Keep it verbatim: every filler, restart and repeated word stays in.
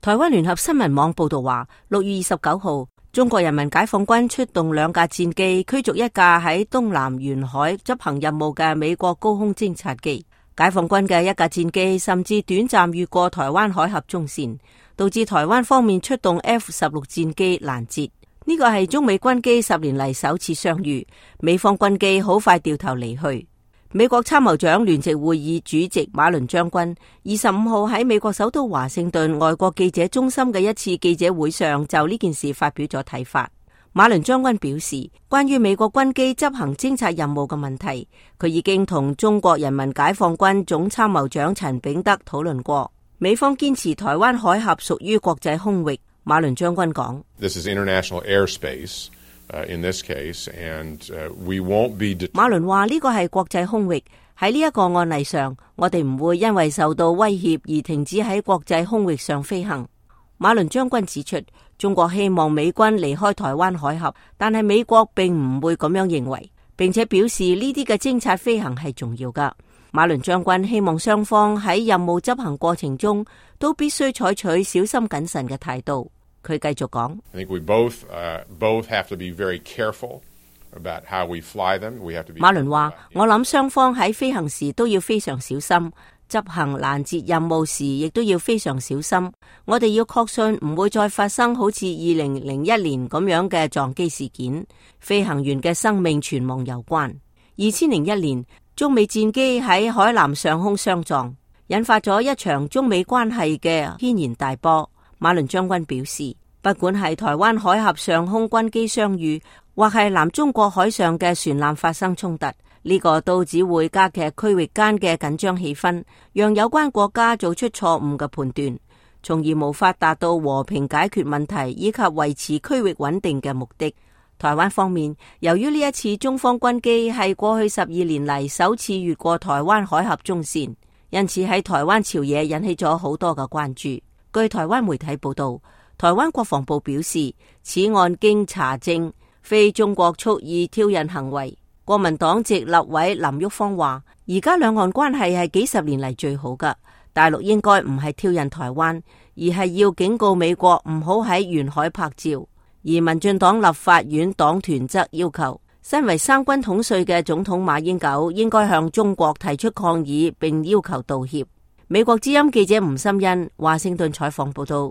台灣聯合新聞網報道話，六月二十九號，中國人民解放軍出動兩架戰機，驅逐一架喺東南沿海執行任務嘅美國高空偵察機。解放軍嘅一架戰機甚至短暫越過台灣海峽中線，導致台灣方面出動 F 十六戰機攔截。呢個係中美軍機十年嚟首次相遇，美方軍機好快掉頭離去。美國參謀長聯席會議主席馬倫將軍二十五號喺美國首都華盛頓外國記者中心嘅一次記者會上就呢件事發表咗睇法。馬倫將軍表示，關於美國軍機執行偵察任務嘅問題，佢已經同中國人民解放軍總參謀長陳炳德討論過。美方堅持台灣海峽屬於國際空域。馬倫將軍講：This is international airspace. Uh, in this case, and, uh, we won't be det- 馬倫話呢個係國際空域，喺呢一個案例上，我哋唔會因為受到威脅而停止喺國際空域上飛行。馬倫將軍指出，中國希望美軍離開台灣海峽，但係美國並唔會咁樣認為，並且表示呢啲嘅偵察飛行係重要噶。馬倫將軍希望雙方喺任務執行過程中都必須採取小心謹慎嘅態度。佢繼續講 I think we both, uh, both have to be very careful about how we fly them. We have to be 馬倫話，我諗雙方喺飛行時都要非常小心，執行攔截任務時亦都要非常小心。我哋要確信唔會再發生好似二零零一年咁樣嘅撞機事件，飛行員嘅生命存亡有關。二千零一年，中美戰機喺海南上空相撞，引發咗一場中美關係嘅軒然大波。馬倫將軍表示，不管係台灣海峽上空軍機相遇，或係南中國海上嘅船艦發生衝突，呢個都只會加劇區域間嘅緊張氣氛，讓有關國家做出錯誤嘅判斷，從而無法達到和平解決問題以及維持區域穩定嘅目的。台灣方面，由於呢一次中方軍機係過去十二年嚟首次越過台灣海峽中線，因此喺台灣朝野引起咗好多嘅關注。據台灣媒體報道，台灣國防部表示，此案經查證，非中國蓄意挑釁行為。國民黨籍立委林旭芳話，而家兩岸關係係幾十年嚟最好噶，大陸應該唔係挑釁台灣，而係要警告美國唔好喺沿海拍照。而民進黨立法院黨團則要求，身為三軍統帥嘅總統馬英九應該向中國提出抗議，並要求道歉。美國之音記者吳心欣華盛頓採訪報道。